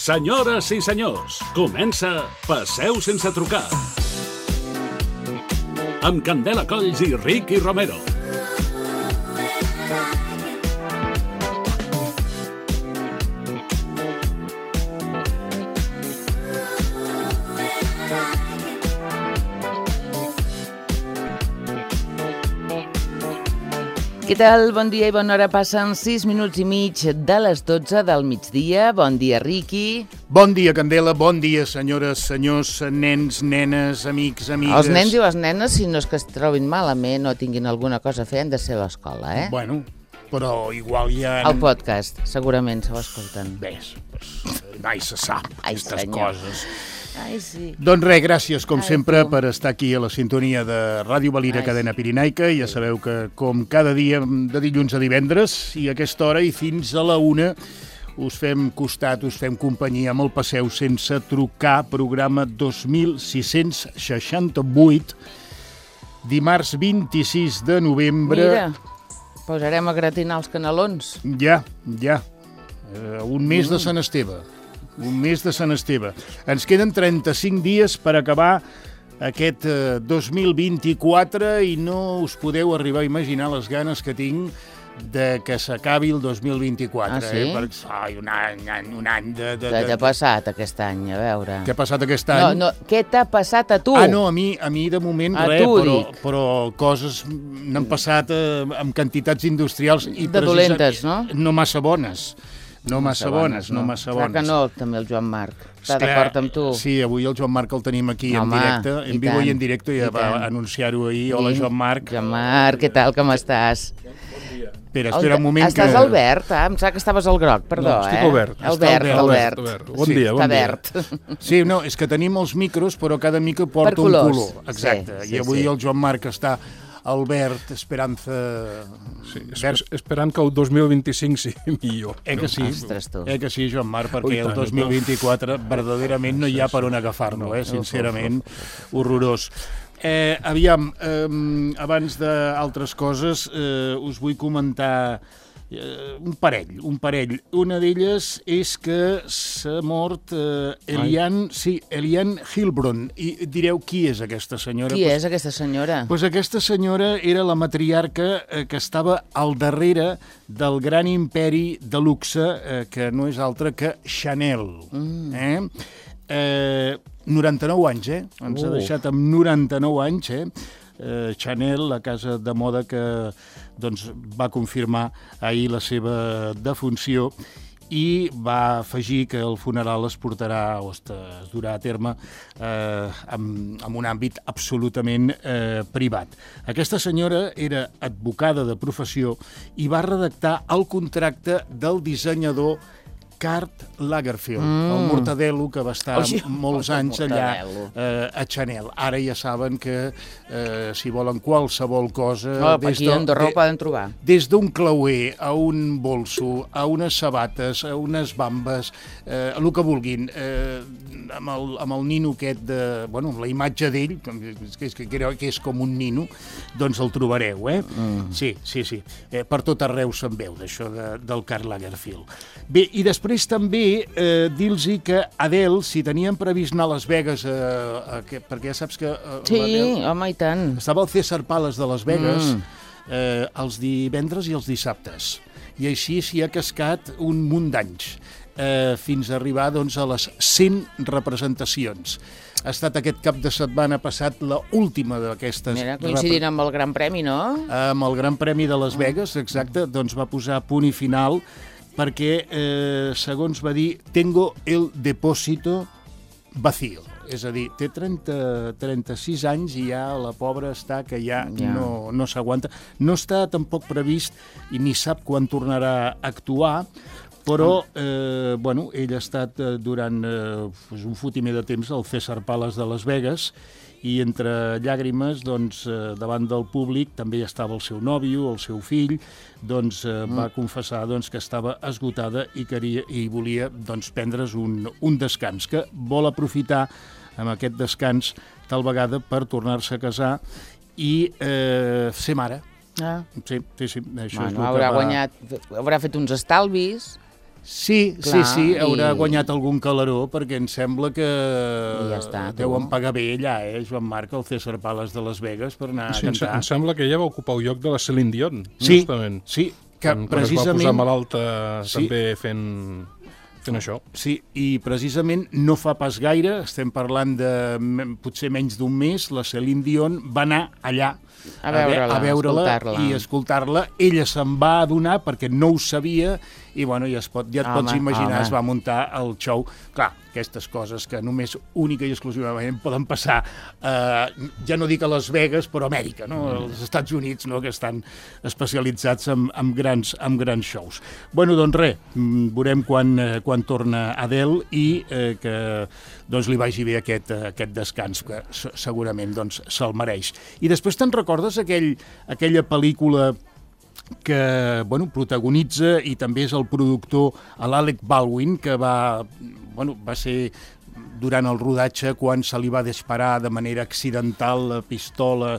Senyores i senyors, comença Passeu sense trucar. Amb Candela Colls i Ricky Romero. Què tal? Bon dia i bona hora. Passen 6 minuts i mig de les 12 del migdia. Bon dia, Riqui. Bon dia, Candela. Bon dia, senyores, senyors, nens, nenes, amics, amigues. Els nens i les nenes, si no és que es trobin malament o tinguin alguna cosa a fer, han de ser a l'escola, eh? Bueno, però igual ja... El podcast, segurament, se ho escolten. Ves, mai se sap, aquestes coses. Ai, sí. Doncs res, gràcies, com sempre, per estar aquí a la sintonia de Ràdio Valira, Cadena Pirinaica. Ja sabeu que, com cada dia, de dilluns a divendres, i a aquesta hora i fins a la 1, us fem costat, us fem companyia amb el Passeu sense trucar, programa 2668, dimarts 26 de novembre. Mira, posarem a gratinar els canelons. Ja. Un mes de Sant Esteve. Un mes de Sant Esteve. Ens queden 35 dies per acabar aquest 2024 i no us podeu arribar a imaginar les ganes que tinc de que s'acabi el 2024. Ah, sí? Un any de... Què t'ha passat aquest any, a veure? Què ha passat aquest any? No, què t'ha passat a tu? Ah, no, a mi de moment res, però coses n'han passat amb quantitats industrials i de dolentes, no? No massa bones. No massa bones. Clar que no, també el Joan Marc. Està d'acord amb tu? Sí, avui el Joan Marc el tenim aquí en directe, en vivo i en directe, ja va anunciar-ho ahir. Hola, Joan Marc. Joan Marc, què tal, com estàs? Espera un moment que... Estàs al verd, em sap que estaves al groc, perdó, no, estic al verd. Al verd. Bon dia. Està verd. Sí, no, és que tenim els micros, però cada micro porta un color. Exacte, i avui el Joan Marc està... Albert, Esperanza... Sí, esperant que el 2025 sigui millor. Que sí? Ostres, tu. Que sí, Joan Marc, perquè el 2024 verdaderament no hi ha per on agafar-lo, sincerament, horrorós. Aviam, abans d'altres coses, us vull comentar un parell. Una d'elles és que s'ha mort Eliane Hilbron. I direu, qui és aquesta senyora? Qui és aquesta senyora? Doncs aquesta senyora era la matriarca que estava al darrere del gran imperi de luxe, que no és altre que Chanel. 99 anys, Ens ha deixat amb 99 anys, Chanel, la casa de moda que va confirmar ahir la seva defunció i va afegir que el funeral es portarà o es durà a terme en un àmbit absolutament privat. Aquesta senyora era advocada de professió i va redactar el contracte del dissenyador Karl Lagerfeld, el mortadelo que va estar molts anys allà a Chanel. Ara ja saben que si volen qualsevol cosa... Aquí a Andorra ho poden trobar. Des d'un clauer a un bolso, a unes sabates, a unes bambes, el que vulguin, amb el nino aquest de... Bueno, amb la imatge d'ell, que és com un nino, doncs el trobareu, Sí. Per tot arreu se'n veu, d'això del Karl Lagerfeld. Bé, i després també dir-los que Adele, si tenien previst anar a Las Vegas, perquè ja saps que... Sí, home, i tant. Estava al César Palace de Las Vegas els divendres i els dissabtes. I així s'hi ha cascat un munt d'anys, fins a arribar a les 100 representacions. Ha estat aquest cap de setmana passat l'última d'aquestes... Mira, coincidint amb el Gran Premi, no? Amb el Gran Premi de Las Vegas, exacte, doncs va posar punt i final perquè, segons va dir, tengo el depósito vacío. És a dir, té 36 anys i ja la pobra està que ja no s'aguanta. No està tampoc previst i ni sap quan tornarà a actuar, però ell ha estat durant un fotimer de temps al César Palace de Las Vegas i entre llàgrimes, davant del públic, també hi estava el seu nòvio, el seu fill, va confessar que estava esgotada i volia prendre's un descans, que vol aprofitar amb aquest descans tal vegada per tornar-se a casar i ser mare. Ah. Sí. Això haurà fet uns estalvis. Sí, Clar, haurà guanyat algun calaró, perquè em sembla que ja està, deuen pagar bé allà, Joan Marc, al César Palace de Las Vegas, per anar a cantar. Em sembla que ella va ocupar el lloc de la Celine Dion, sí, justament. Sí, que quan precisament... es va posar malalta també fent això. Sí, i precisament no fa pas gaire, estem parlant de potser menys d'un mes, la Celine Dion va anar allà a veure-la i escoltar-la. Ella se'n va adonar perquè no ho sabia i bueno, ja et pots imaginar, es va muntar el show. Clar, aquestes coses que només única i exclusivament poden passar, ja no dic a Las Vegas, però a Amèrica, no? Als Estats Units, no? Que estan especialitzats en grans shows. Bueno, doncs res, veurem quan torna Adele i que doncs, li vagi bé aquest descans, que segurament doncs, se'l mereix. I després te'n recordes aquella pel·lícula que protagonitza i també és el productor l'Alec Baldwin, que va ser durant el rodatge quan se li va disparar de manera accidental la pistola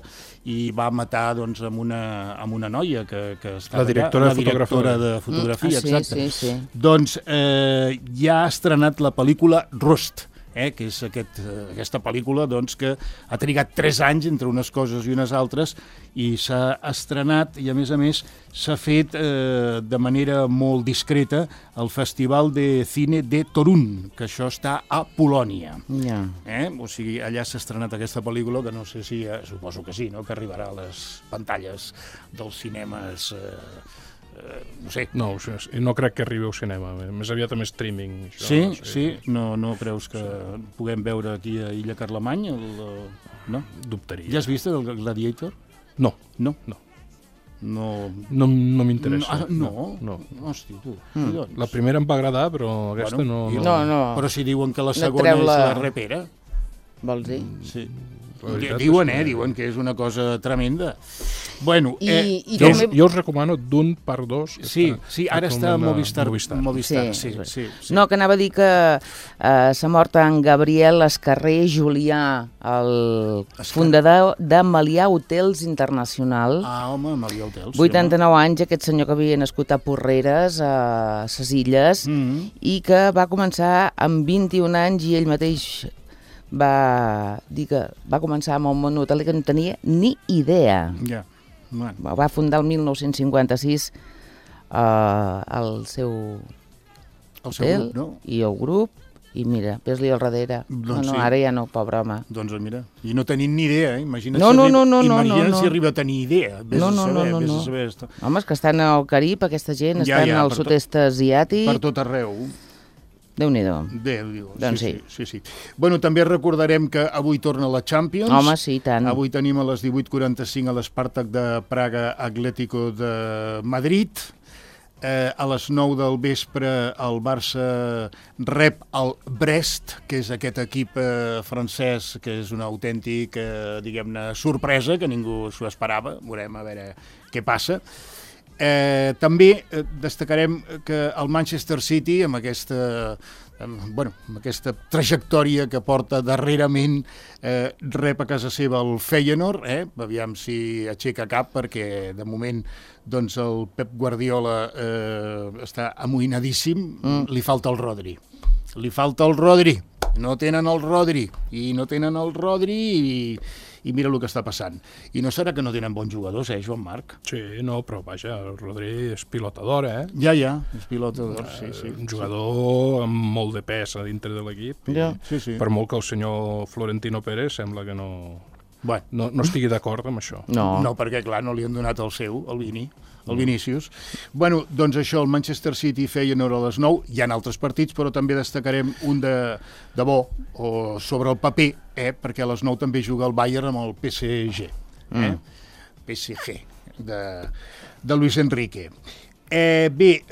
i va matar doncs, amb una noia que estava la directora de fotografia. Exacte. Sí. Doncs ja ha estrenat la pel·lícula Rust, que és aquesta pel·lícula doncs, que ha trigat 3 anys entre unes coses i unes altres i s'ha estrenat i a més s'ha fet de manera molt discreta al Festival de Cine de Torun, que això està a Polònia. O sigui, allà s'ha estrenat aquesta pel·lícula que no sé si, suposo que sí, no? Que arribarà a les pantalles dels cinemes... no sé. No crec que arribi al cinema, més aviat amb streaming. Sí? No creus que puguem veure aquí a Illa Carlemany? No? Dubtaria. Ja has vist el Gladiator? No. No m'interessa. No? Hosti, tu. La primera em va agradar, però aquesta no. Però si diuen que la segona és la repera. Vols dir? Sí. Diuen que és una cosa tremenda. Bueno, jo us recomano d'un per dos. Sí, ara està a Movistar. Sí. No, que anava a dir que s'ha mort en Gabriel Escarré Julià, el fundador de Melià Hotels Internacional. Home, Melià Hotels. 89 anys, aquest senyor que havia nascut a Porreres, a ses Illes, i que va començar amb 21 anys i ell mateix va dir que va començar amb un món hoteler que no tenia ni idea. Va fundar el 1956 el seu hotel grup, no? I el grup, i mira, ves-li al darrere. Ara ja no, pobre home. Doncs mira, i no tenint ni idea, imagina't si arriba a tenir idea. Vés a saber. Home, és que estan al Carib, aquesta gent, estan al sud-est asiàtic. Per tot arreu. Déu-n'hi-do. Doncs sí. Bueno, també recordarem que avui torna la Champions. Home, sí, tant. Avui tenim a les 18:45 a l'Spartak de Praga Atlético de Madrid. A les 9 del vespre el Barça rep el Brest, que és aquest equip francès que és una autèntica, diguem-ne, sorpresa, que ningú s'ho esperava. Veurem a veure què passa. També destacarem que el Manchester City, amb aquesta trajectòria que porta darrerament, rep a casa seva el Feyenoord, aviam si aixeca cap, perquè de moment doncs, el Pep Guardiola està amoïnadíssim, li falta el Rodri. No tenen el Rodri i mira el que està passant. I no serà que no tenen bons jugadors, Joan Marc? Sí, no, però vaja, el Rodri és pilotador, Ja, és pilotador, sí. Un jugador amb molt de pes a dintre de l'equip. Sí. Per molt que el senyor Florentino Pérez sembla que no estigui d'acord amb això. No, perquè clar, no li han donat el seu, el Vinícius. Bueno, doncs això, el Manchester City Feyenoord a les 9, hi ha altres partits, però també destacarem un de bo, o sobre el paper, perquè a les 9 també juga el Bayern amb el PSG. PSG, de Luis Enrique. Bé,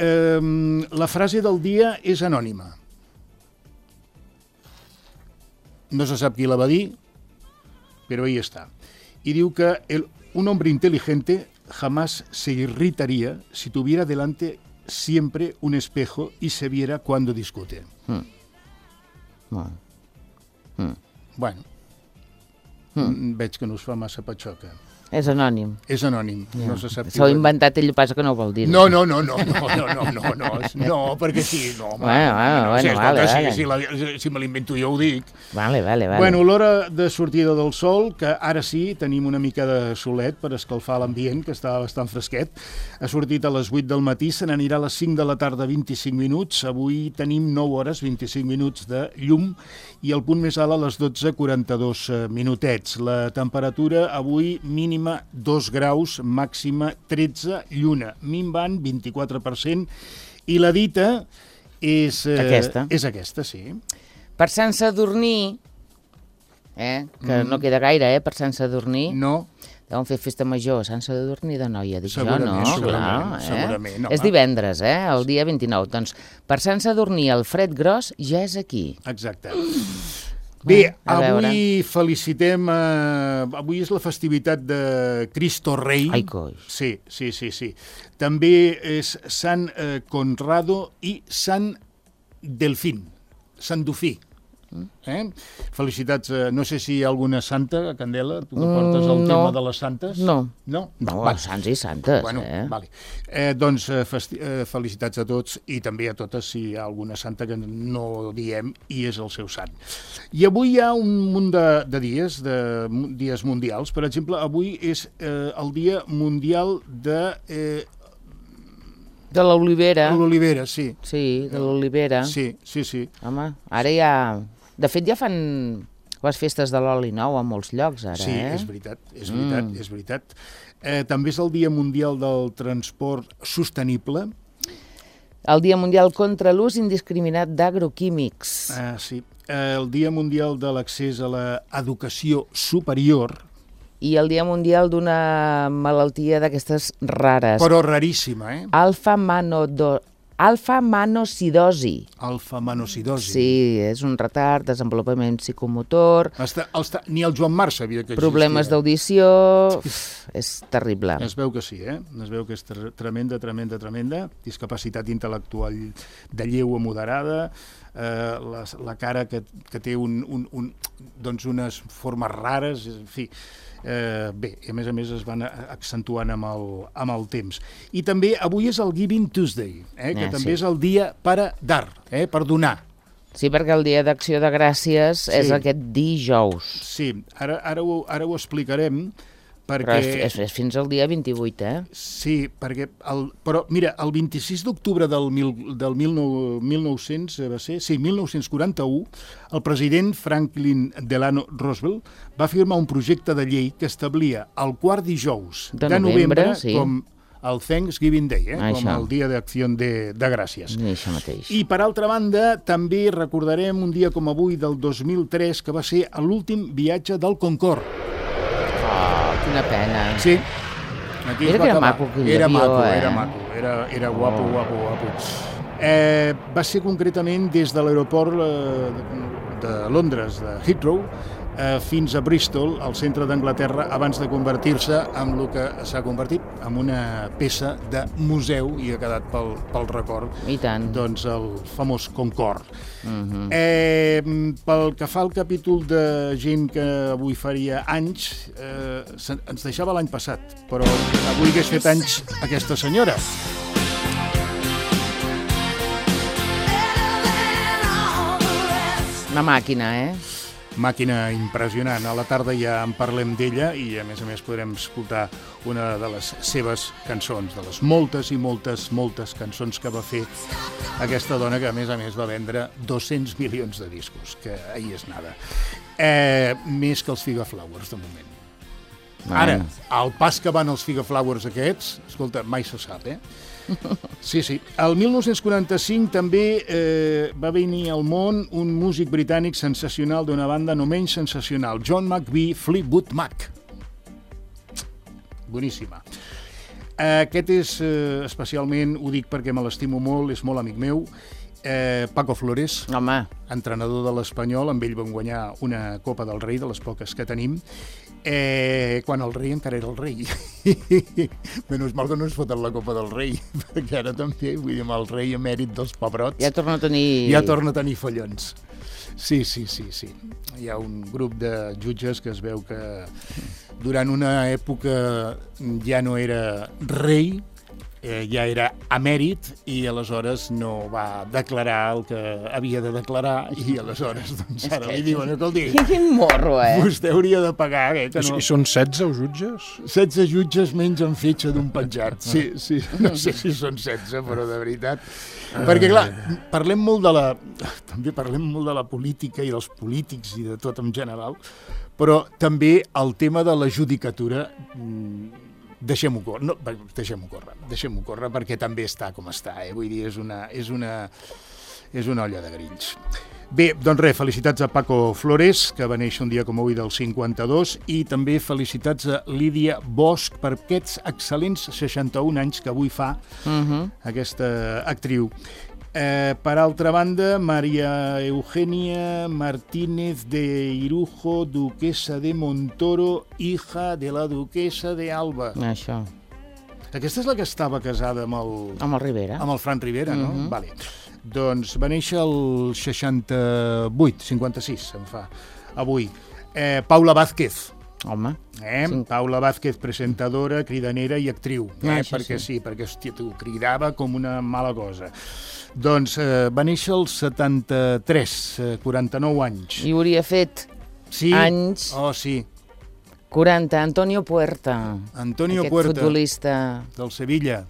la frase del dia és anònima. No se sap qui la va dir, pero ahí está. Y diu que un hombre inteligente jamás se irritaría si tuviera delante siempre un espejo y se viera cuando discute. Bueno, veig que no us fa massa patxoca. És anònim. És anònim, no se sap. S'ho ha inventat ell, passa que no ho vol dir. No, perquè sí, no. Si me l'invento jo ho dic. Vale. Bueno, l'hora de sortida del sol, que ara sí, tenim una mica de solet per escalfar l'ambient, que està bastant fresquet. Ha sortit a les 8 del matí, se n'anirà a les 5 de la tarda 25 minuts. Avui tenim 9 hores, 25 minuts de llum i el punt més alt a les 12:42 minutets. La temperatura avui mínima 2 graus, màxima 13, lluna minvant 24%, i la dita és... Aquesta. És aquesta, sí. Per Sant Sadurní, que no queda gaire, per Sant Sadurní, no. deuen fer festa major, Sant Sadurní de Noia, dic segurament, jo, no? Segurament. És divendres, el dia 29. Doncs per Sant Sadurní el fred gros ja és aquí. Exacte. Bé, avui felicitem... Avui és la festivitat de Cristo Rei. Ai, coi. Sí. També és Sant Conrado i Sant Delfín, Sant Dofí. Felicitats. No sé si hi ha alguna santa, Candela, tu que portes el tema de les santes. No, vale. sants i santes. Bueno, vale. Doncs felicitats a tots i també a totes si hi ha alguna santa que no diem i és el seu sant. I avui hi ha un munt de dies mundials. Per exemple, avui és el dia mundial de... De l'olivera. L'olivera, sí. Sí, de l'olivera. Sí. Home, ara ja... De fet, ja fan les festes de l'oli nou a molts llocs, ara, Sí, és veritat. També és el Dia Mundial del Transport Sostenible. El Dia Mundial contra l'ús indiscriminat d'agroquímics. Sí. El Dia Mundial de l'Accés a l'Educació Superior. I el Dia Mundial d'una malaltia d'aquestes rares. Però raríssima, Alfa-manosidosi. Alfa-manosidosi. Sí, és un retard, desenvolupament psicomotor... Ni el Joan Marc sabia que existia. Problemes d'audició... És terrible. Es veu que sí, Es veu que és tremenda. Discapacitat intel·lectual de lleu a moderada, la cara que té doncs unes formes rares, en fi... Bé, a més es van accentuant amb el temps. I també avui és el Giving Tuesday, que també és el dia per dar, per donar. Sí, perquè el dia d'acció de gràcies és aquest dijous. Sí, ara ho explicarem, perquè... Però és fins al dia 28, Sí, perquè... Però, mira, el 26 d'octubre del 1941, el president Franklin Delano Roosevelt va firmar un projecte de llei que establia el quart dijous de novembre com el Thanksgiving Day, com el dia d'acció de gràcies. Això mateix. I, per altra banda, també recordarem un dia com avui del 2003, que va ser l'últim viatge del Concorde. Quina pena. Sí. Mira que era maco aquell avió, Era guapo. Va ser concretament des de l'aeroport de Londres, de Heathrow, fins a Bristol, al centre d'Anglaterra, abans de convertir-se en el que s'ha convertit, en una peça de museu, i ha quedat pel record. I tant. Doncs el famós Concorde. Pel que fa al capítol de gent que avui faria anys, ens deixava l'any passat, però avui hagués fet anys aquesta senyora. Una màquina, Màquina impressionant. A la tarda ja en parlem d'ella i, a més podrem escoltar una de les seves cançons, de les moltes i moltes cançons que va fer aquesta dona, que a més va vendre 200 milions de discos, que ahí és nada. Més que els Figaflowers, de moment. Ara, al pas que van els Figaflowers aquests, escolta, mai se sap, Sí. El 1945 també va venir al món un músic britànic sensacional d'una banda no menys sensacional, John McVie, Fleetwood Mac. Boníssima. Aquest és especialment, ho dic perquè me l'estimo molt, és molt amic meu, Paco Flores, entrenador de l'Espanyol, amb ell vam guanyar una Copa del Rei, de les poques que tenim. quan el rei encara era el rei. Menys mal que no es foten la copa del rei, perquè ara també, vull dir, amb el rei emèrit dels pebrots... Ja torna a tenir follons. Sí. Hi ha un grup de jutges que es veu que durant una època ja no era rei, ja era emèrit i aleshores no va declarar el que havia de declarar i aleshores doncs ara li diuen quin morro, vostè hauria de pagar, que no... I són 16 jutges? 16 jutges menys en fitxa d'un penjat. Sí, no sé si són 16, però de veritat. Perquè, clar, també parlem molt de la política i dels polítics i de tot en general, però també el tema de la judicatura deixem-ho córrer perquè també està com està, vull dir, és una olla de grills. Bé, doncs res, felicitats a Paco Flores, que va néixer un dia com avui del 52, i també felicitats a Lídia Bosch per aquests excel·lents 61 anys que avui fa aquesta actriu. Per altra banda, María Eugenia Martínez de Irujo, duquesa de Montoro, hija de la duquesa de Alba. Això. Aquesta és la que estava casada amb el... Amb el Rivera. Amb el Fran Rivera, no? Vale. Doncs va néixer el 56 se'n fa, avui. Paula Vázquez. Home. Paula Vázquez, presentadora, cridanera i actriu. Perquè hòstia, t'ho cridava com una mala cosa. Doncs va néixer el 73, 49 anys. I hauria fet anys... Oh, sí. 40, Antonio Puerta. Aquest futbolista. Del Sevilla.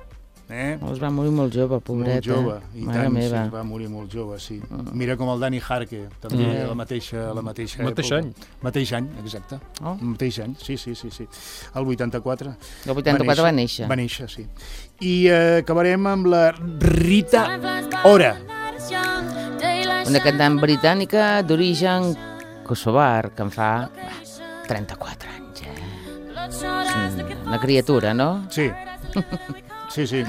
Es va morir molt jove, pobret. Molt jove, i tant, sí, va morir molt jove, sí. Mira com el Dani Jarque, també la mateixa època. Mateix any, exacte. Mateix any, sí. El 84. El 84 va néixer. Va néixer, sí. I acabarem amb la Rita Ora. Una cantant britànica d'origen kosovar, que en fa 34 anys. Una criatura, no? Sí. Sí.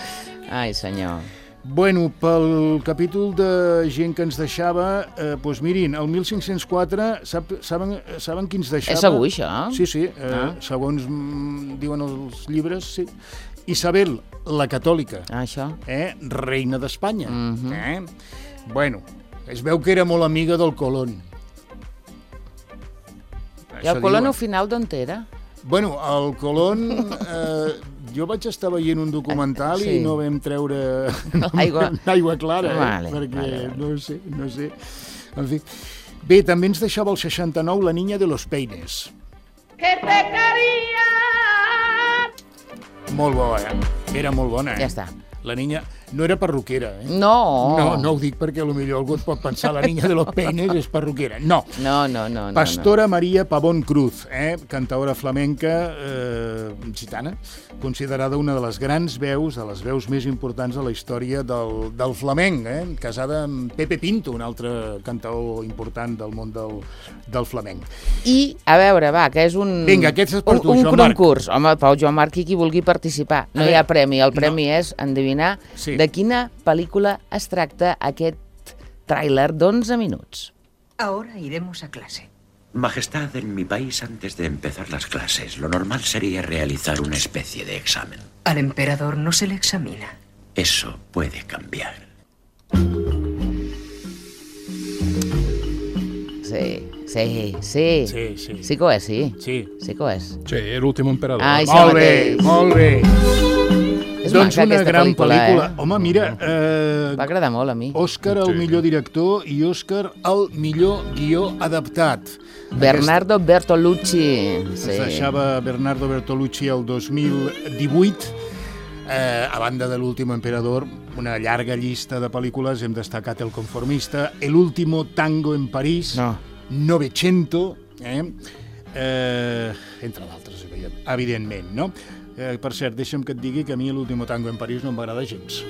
Ai, senyor. Bueno, pel capítol de gent que ens deixava, doncs mirin, el 1504, saben qui ens deixava? És avui, això? Sí, segons diuen els llibres, sí. Isabel, la catòlica. Això. Reina d'Espanya. Bueno, es veu que era molt amiga del Colón. I el Colón al final d'on era? Bueno, el Colón... Jo vaig estar veient un documental i no vam treure l'aigua clara, perquè no sé. En fi. Bé, també ens deixava el 69 la Niña de los Peines. Que te quería! Molt bona, era molt bona, Ja està. La niña no era perruquera, No ho dic perquè potser algú et pot pensar la Niña de los Peines és perruquera. No. Pastora Maria Pavón Cruz, cantaora flamenca gitana, considerada una de les grans veus, de les veus més importants de la història del flamenc, casada amb Pepe Pinto, un altre cantaor important del món del flamenc. I, a veure, va, que és un... Vinga, aquest és per tu, Joan Marc. Un concurs. Home, Pau, Joan Marc, i qui vulgui participar. No hi ha premi. El premi és endevinar de quina pel·lícula es tracta aquest tràiler d'11 minuts. Ahora iremos a clase. Majestad, en mi país, antes de empezar las clases, lo normal sería realizar una especie de examen. Al emperador no se le examina. Eso puede cambiar. Sí. Sí que ho és, sí. Sí que ho és. Sí, l'últim emperador. Molt bé. És doncs maca, una aquesta gran pel·lícula. eh? Home, mira... Va agradar molt a mi. Òscar al millor director i Òscar al millor guió adaptat. Bernardo Bertolucci. Es deixava Bernardo Bertolucci el 2018. A banda de l'últim emperador, una llarga llista de pel·lícules. Hem destacat El conformista, El último tango en París, Novecento, entre d'altres, evidentment, no? Per cert, deixa'm que et digui que a mi l'último tango en París no m'agrada gens.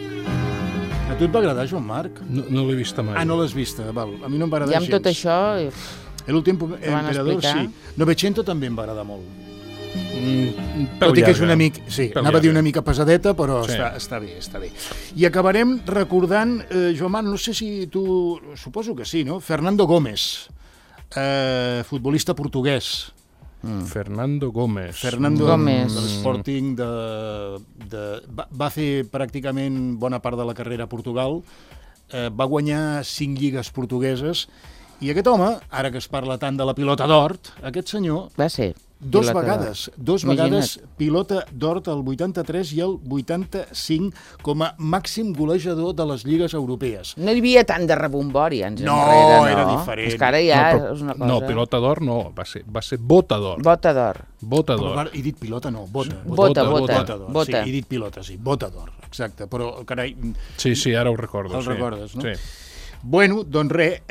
A tu et va agradar, Joan Marc? No l'he vista mai. Ah, no l'has vista, val. A mi no em va agradar gens. I amb tot això... L'últim emperador, sí. Novecento també em va agradar molt. Tot i que és una mica... Sí, anava a dir una mica pesadeta, però està bé. I acabarem recordant, Joan Marc, no sé si tu... Suposo que sí, no? Fernando Gómez, futbolista portuguès. Fernando Gómez. Fernando Gómez. de l'Sporting va fer pràcticament bona part de la carrera a Portugal, va guanyar 5 lligues portugueses, i aquest home, ara que es parla tant de la pilota d'or, aquest senyor Va ser. dos pilota vegades pilota d'or el 83 i el 85 com a màxim golejador de les lligues europees. No hi havia tant de rebombori anys No, enrere, no? era diferent. És que ara ja No, però- és una cosa... No, pilota d'or no, va ser bota d'or. Bota d'or. Bota Però, d'or. he dit pilota, no, bota. Bota. d'or. Bota. Sí, he dit pilota, sí, bota d'or, exacte. Però, carai, Sí, ara ho recordo. el sí. recordes, no? Sí. Bueno, doncs res,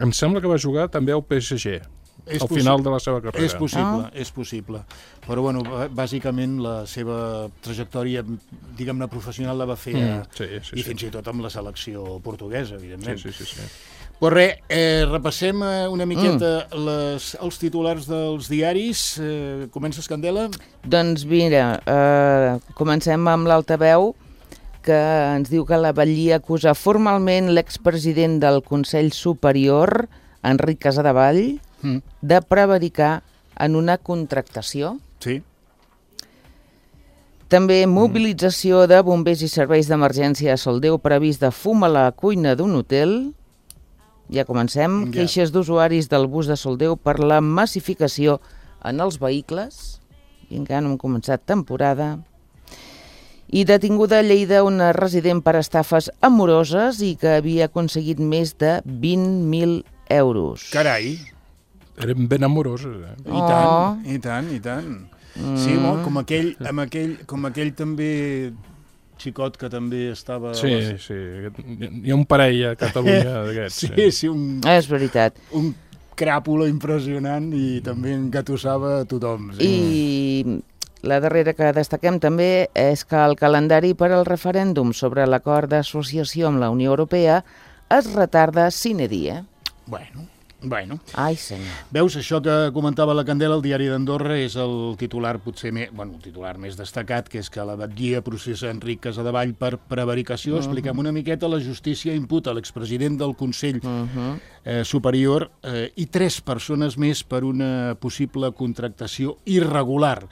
Em sembla que va jugar també al PSG, al final de la seva carrera. És possible. Però, bueno, bàsicament la seva trajectòria, diguem-ne, professional la va fer i fins i tot amb la selecció portuguesa, evidentment. Sí. Però res, repassem una miqueta els titulars dels diaris. Comences, Candela? Doncs mira, comencem amb l'altaveu, que ens diu que la Batllia acusa formalment l'expresident del Consell Superior, Enric Casadevall, de prevaricar en una contractació. Sí. També mobilització de bombers i serveis d'emergència a Soldeu previst de fum a la cuina d'un hotel. Ja comencem. Ja. Queixes d'usuaris del bus de Soldeu per la massificació en els vehicles. I encara no hem començat temporada. I detinguda a Lleida una resident per estafes amoroses i que havia aconseguit més de 20.000 euros. Carai, Eren ben amoroses, i tant. Sí, com aquell també xicot que també estava... Sí. Hi ha un parell a Catalunya d'aquests. Sí, És veritat. un cràpula impressionant i també engatussava a tothom. Sí. I la darrera que destaquem també és que el calendari per al referèndum sobre l'acord d'associació amb la Unió Europea es retarda sine die. Bueno. Ai, senyor. Veus, això que comentava la Candela, el diari d'Andorra, és el titular potser el titular més destacat, que és que la Batllia processa Enric Casadevall per prevaricació. Expliquem una miqueta. La justícia imputa a l'expresident del Consell Superior i 3 persones més per una possible contractació irregular.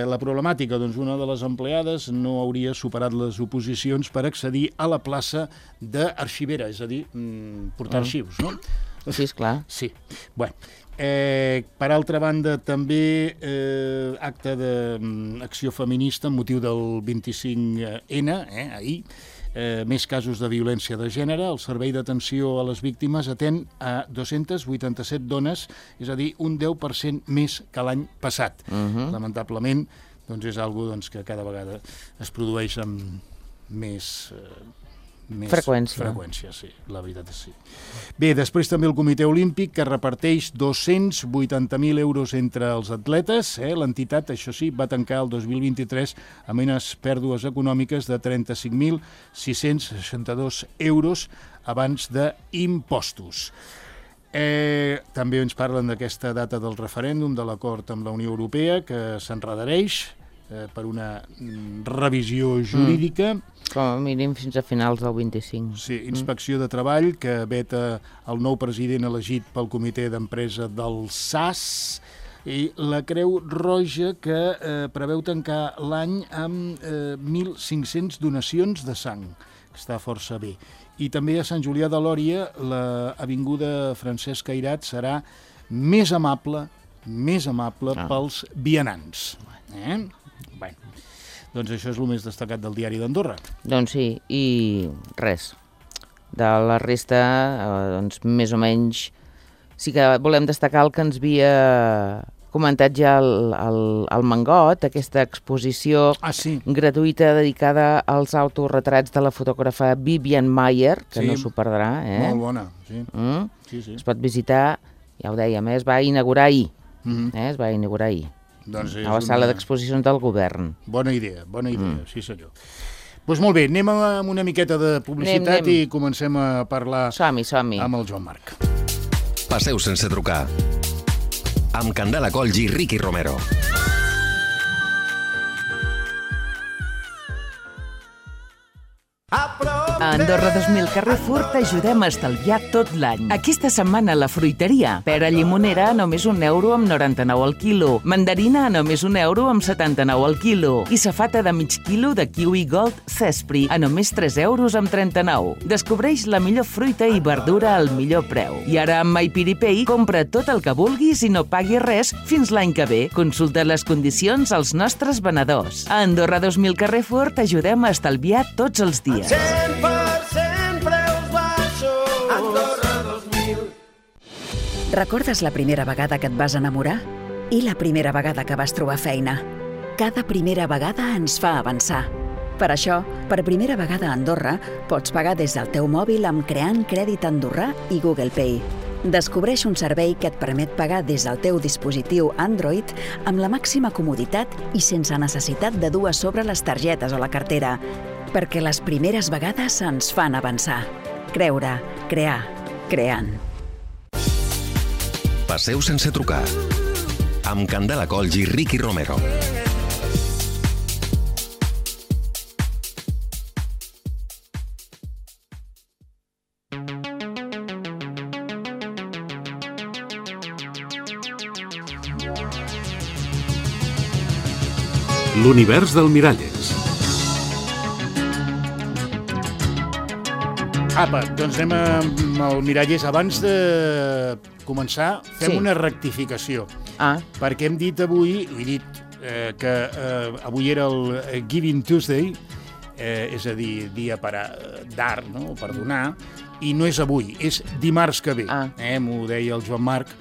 La problemàtica, doncs, una de les empleades no hauria superat les oposicions per accedir a la plaça d'arxivera, és a dir, portar arxius, no? Sí, esclar. Sí. Bueno, per altra banda, també acte d'acció feminista amb motiu del 25N, ahir, més casos de violència de gènere. El Servei d'Atenció a les Víctimes atén a 287 dones, és a dir, un 10% més que l'any passat. Lamentablement, doncs és algo que cada vegada es produeix amb més freqüència, sí, la veritat és sí. Bé, després també el Comitè Olímpic, que reparteix 280.000 euros entre els atletes. L'entitat, això sí, va tancar el 2023 amb unes pèrdues econòmiques de 35.662 euros abans d'impostos. També ens parlen d'aquesta data del referèndum, de l'acord amb la Unió Europea, que s'enredareix per una revisió jurídica. Com a mínim fins a finals del 25. Sí, Inspecció de Treball, que veta el nou president elegit pel comitè d'empresa del SAS, i la Creu Roja, que preveu tancar l'any amb 1.500 donacions de sang, que està força bé. I també a Sant Julià de Lòria, l'avinguda Francesc Cairat serà més amable pels vianants. Bé, doncs això és el més destacat del diari d'Andorra. Doncs sí, i res. De la resta, doncs més o menys, sí que volem destacar el que ens havia comentat ja el Mangot, aquesta exposició gratuïta dedicada als autorretrats de la fotògrafa Vivian Maier, que no s'ho perdrà. Molt bona, sí. Es pot visitar, ja ho dèiem, es va inaugurar ahir. Es va inaugurar ahir. A la sala d'exposicions del govern. Bona idea, sí senyor. Doncs molt bé, anem amb una miqueta de publicitat i comencem a parlar som-hi amb el Joan Marc. Passeu sense trucar. Amb Candela Colls i Ricky Romero. A Andorra 2000 Carrefour t'ajudem a estalviar tot l'any. Aquesta setmana a la fruiteria. Pera llimonera a només €1,99 al quilo. Mandarina a només €1 amb 79 al quilo. I safata de mig quilo de kiwi gold Cespri a només €3 amb 39. Descobreix la millor fruita i verdura al millor preu. I ara amb MyPiripay compra tot el que vulguis i no paguis res fins l'any que ve. Consulta les condicions als nostres venedors. A Andorra 2000 Carrefour t'ajudem a estalviar tots els dies. 100% preus baixos. Andorra 2000. Recordes la primera vegada que et vas enamorar? I la primera vegada que vas trobar feina? Cada primera vegada ens fa avançar. Per això, per primera vegada a Andorra, pots pagar des del teu mòbil amb Creant Crèdit Andorrà i Google Pay. Descobreix un servei que et permet pagar des del teu dispositiu Android amb la màxima comoditat i sense necessitat de dur a sobre les targetes o la cartera, perquè les primeres vegades ens fan avançar. Creure, crear, creant. Passeu sense trucar. Amb Candela Colls i Ricky Romero. L'univers del Miralles. Apa, doncs anem al Miralles. Abans de començar, fem una rectificació. Perquè hem dit avui, he dit que avui era el Giving Tuesday, és a dir, dia per dar, no? Per donar, i no és avui, és dimarts que ve. M'ho deia el Joan Marc,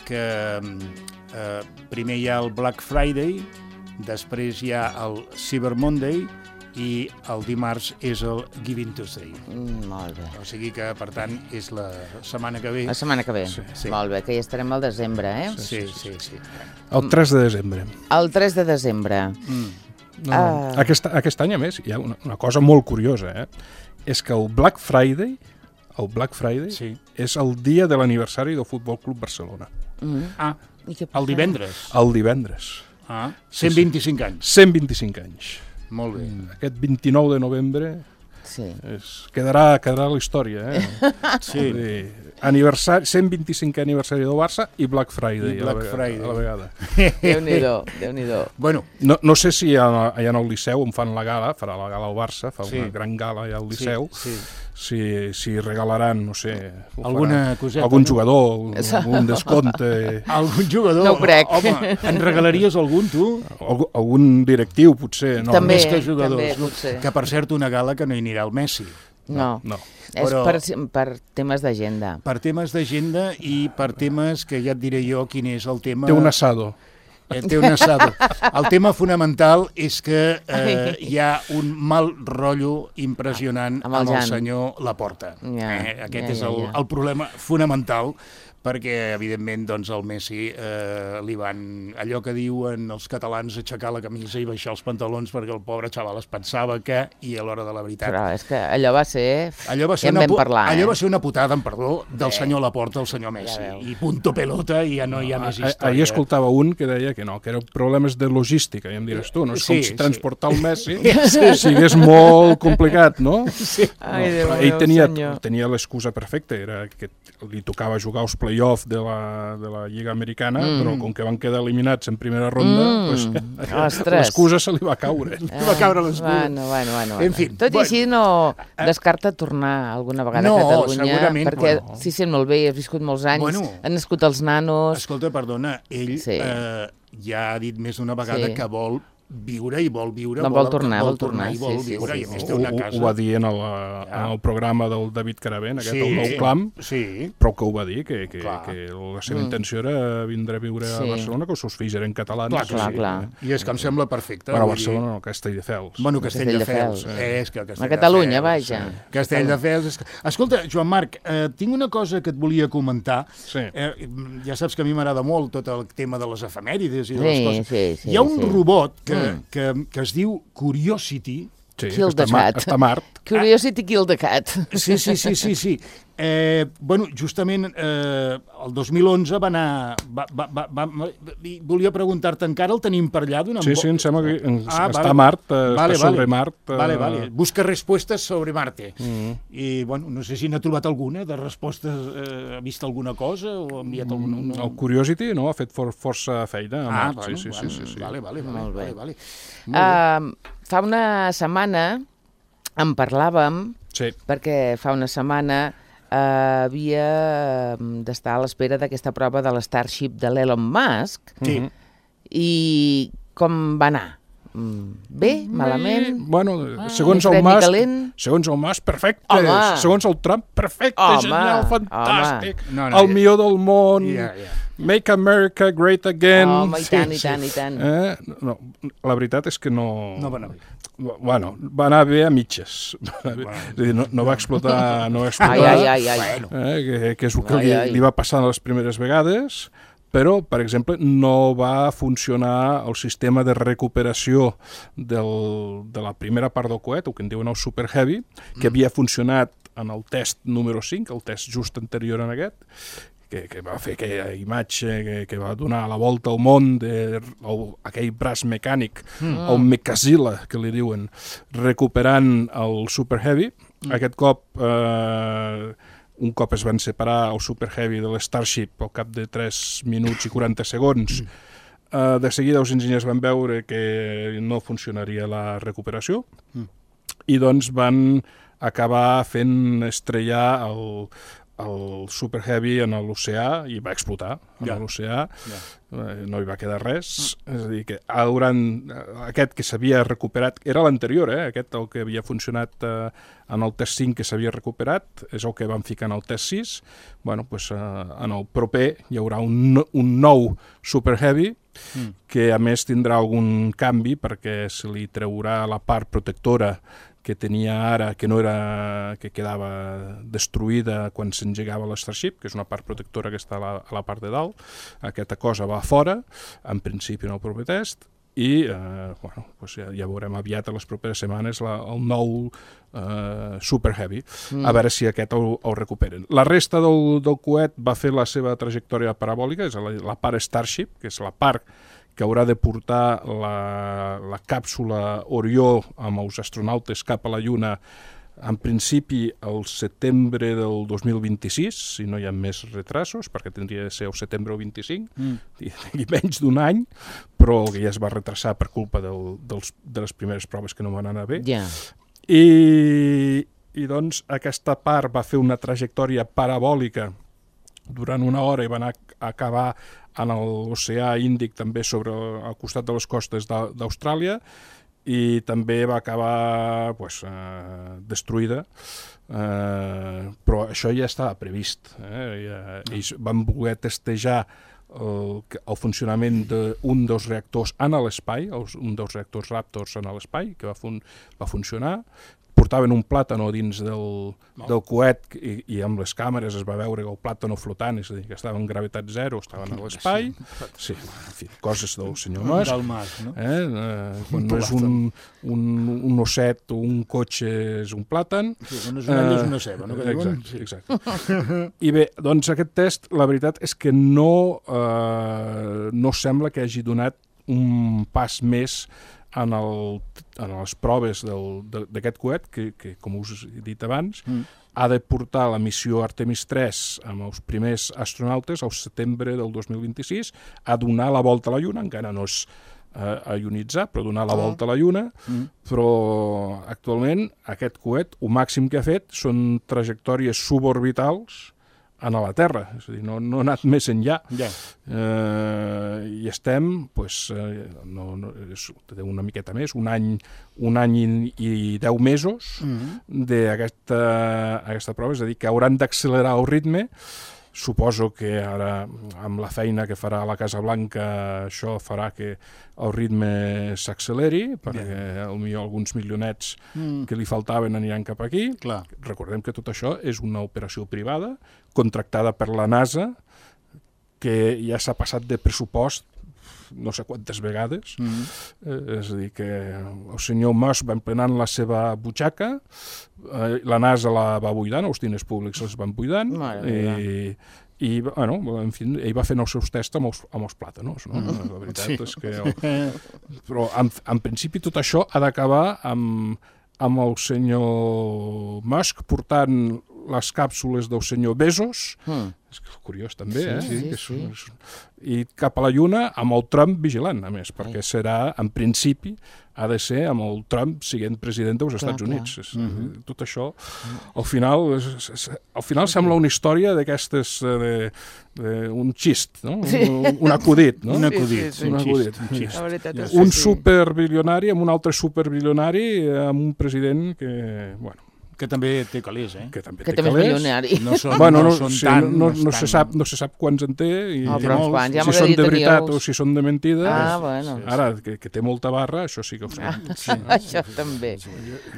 que primer hi ha el Black Friday, després hi ha el Cyber Monday i el dimarts és el Giving Tuesday. Molt bé. O sigui que, per tant, és la setmana que ve. La setmana que ve. Sí. Molt bé, que ja estarem al desembre, eh? Sí. El 3 de desembre. El 3 de desembre. Aquest any, a més, hi ha una cosa molt curiosa, és que el Black Friday és el dia de l'aniversari del Futbol Club Barcelona. El divendres? El divendres. 125 anys. 125 anys. Molt bé. Aquest 29 de novembre quedarà a la història. Sí. 125 aniversari del Barça i Black Friday a la vegada. Déu-n'hi-do. Bueno. No sé si allà al Liceu on fan la gala, farà la gala al Barça, fa una gran gala allà al Liceu, si regalaran, no sé, alguna coseta, algun jugador, algun descompte. Algun jugador? No ho crec. Home, en regalaries algun, tu? Algun directiu, potser. També, més que jugadors. també, potser. Que, per cert, una gala que no hi anirà el Messi. No. És per temes d'agenda. Per temes d'agenda i per temes que ja et diré jo quin és el tema... Té un asado. Té un asado. El tema fonamental és que hi ha un mal rotllo impressionant amb el senyor Laporta. Aquest és el problema fonamental, perquè, evidentment, doncs, el Messi li van, allò que diuen els catalans, aixecar la camisa i baixar els pantalons perquè el pobre xaval es pensava que, i a l'hora de la veritat... Però és que allò va ser... Allò va ser una putada, amb perdó, del senyor Laporta al senyor Messi. I punto pelota, i ja no hi ha més història. Ahir escoltava un que deia que eren problemes de logística, i em diràs tu, no? És com si transportar el Messi sigués molt complicat, no? Ell tenia l'excusa perfecta, era que li tocava jugar als play-off de la Lliga Americana, però com que van quedar eliminats en primera ronda, l'excusa se li va caure. Va caure l'excusa. Bueno. En fi. Tot i així no descarta tornar alguna vegada a Catalunya. No, segurament. Perquè s'hi sent molt bé, ha viscut molts anys, han nascut els nanos... Escolta, perdona, ell ja ha dit més d'una vegada que vol viure i vol viure, vol tornar i vol viure, i a més té una casa. Ho va dir en el programa del David Caravent, aquest, el Nou Clam, però que ho va dir, que la seva intenció era vindre a viure a Barcelona, que els seus fills eren catalans. Clar. I és que em sembla perfecte. Bueno, a Barcelona no, Castelldefels. Bueno, Castelldefels. A Catalunya, vaja. Castelldefels. Escolta, Joan Marc, tinc una cosa que et volia comentar. Ja saps que a mi m'agrada molt tot el tema de les efemèrides i de les coses. Hi ha un robot que es diu Curiosity, Kill the cat. Està a Mart. Curiosity Kill the cat. Sí. Bueno, justament el 2011 va anar... Volia preguntar-te, encara el tenim per allà? Sí, em sembla que està a Mart, està sobre Mart. Vale. Busca respostes sobre Marte. I, bueno, no sé si n'ha trobat alguna de respostes, ha vist alguna cosa o ha enviat alguna... El Curiosity, no? Ha fet força feina a Mart. Sí. Vale. Molt bé. Fa una setmana en parlàvem, perquè fa una setmana havia d'estar a l'espera d'aquesta prova de l'Starship de l'Elon Musk. I com va anar? Bé? Malament? Bueno, segons el Musk, perfecte. Segons el Trump, perfecte, genial, fantàstic. El millor del món. Make America Great Again. I tant. No, la veritat és que no... No va anar bé. Bueno, va anar bé a mitges. És a dir, no va explotar... Que és el que li va passar les primeres vegades, però, per exemple, no va funcionar el sistema de recuperació de la primera part del coet, el que en diuen el Super Heavy, que havia funcionat en el test número 5, el test just anterior en aquest, que va fer aquella imatge que va donar la volta al món d'aquell braç mecànic, el Mechazilla, que li diuen, recuperant el Super Heavy. Aquest cop, un cop es van separar el Super Heavy de l'Starship al cap de 3 minuts i 40 segons, de seguida els enginyers van veure que no funcionaria la recuperació i doncs van acabar fent estrellar el Super Heavy en l'oceà i va explotar en l'oceà, no hi va quedar res, és a dir, que aquest que s'havia recuperat, era l'anterior, aquest el que havia funcionat en el test 5 que s'havia recuperat, és el que van ficar en el test 6, bueno, doncs en el proper hi haurà un nou Super Heavy que a més tindrà algun canvi perquè se li treurà la part protectora que tenia ara, que quedava destruïda quan s'engegava l'Starship, que és una part protectora que està a la part de dalt. Aquesta cosa va fora, en principi en el proper test, i ja veurem aviat a les properes setmanes el nou Super Heavy, a veure si aquest el recuperen. La resta del coet va fer la seva trajectòria parabòlica, és la part Starship, que és la part que haurà de portar la càpsula Orió amb els astronautes cap a la Lluna en principi al setembre del 2026, si no hi ha més retrasos, perquè tindria de ser el setembre o 25, i menys d'un any, però que ja es va retrasar per culpa de les primeres proves que no van anar bé. I doncs aquesta part va fer una trajectòria parabòlica durant una hora i va anar a acabar en l'oceà Índic, també al costat de les costes d'Austràlia, i també va acabar destruïda, però això ja estava previst. Ells van voler testejar el funcionament d'un dels reactors en l'espai, un dels reactors Raptors en l'espai, que va funcionar. Portaven un plàtano dins del coet i amb les càmeres es va veure el plàtano flotant, és a dir, que estava en gravetat zero, estaven a l'espai. Sí, en fi, coses del senyor Musk. Del Musk, no? Quan no és un osset o un cotxe, és un plàtan. Sí, quan és una ella és una ceba, no? Exacte. I bé, doncs aquest test, la veritat és que no sembla que hagi donat un pas més en les proves d'aquest coet, que com us he dit abans, ha de portar la missió Artemis 3 amb els primers astronautes al setembre del 2026 a donar la volta a la Lluna, encara no és a ionitzar, però donar la volta a la Lluna, però actualment aquest coet, el màxim que ha fet són trajectòries suborbitals a la Terra, és a dir, no ha anat més enllà. I estem, té una miqueta més, un any i 10 mesos d'aquesta prova, és a dir, que hauran d'accelerar el ritme. Suposo que ara, amb la feina que farà la Casa Blanca, això farà que el ritme s'acceleri, perquè potser alguns milionets que li faltaven aniran cap aquí. Recordem que tot això és una operació privada, contractada per la NASA, que ja s'ha passat de pressupost no sé quantes vegades, és a dir, que el senyor Musk va emplenant la seva butxaca, la NASA la va buidant, els diners públics els van buidant, i bueno, en fi, ell va fent els seus tests amb els plàtanos, no? La veritat és que... Però, en principi, tot això ha d'acabar amb el senyor Musk portant les càpsules del senyor Bezos, és curiós també, i cap a la Lluna amb el Trump vigilant, a més, perquè serà, en principi, ha de ser amb el Trump siguent president dels Estats Units. Tot això, al final sembla una història d'aquestes, un xist, un acudit. Un acudit. Un superbilionari amb un altre superbilionari amb un president que, bueno, que també té calés, Que també és milionari. No se sap quants en té, i si són de veritat o si són de mentida. Ara, que té molta barra, això sí que ho sabem. Això també.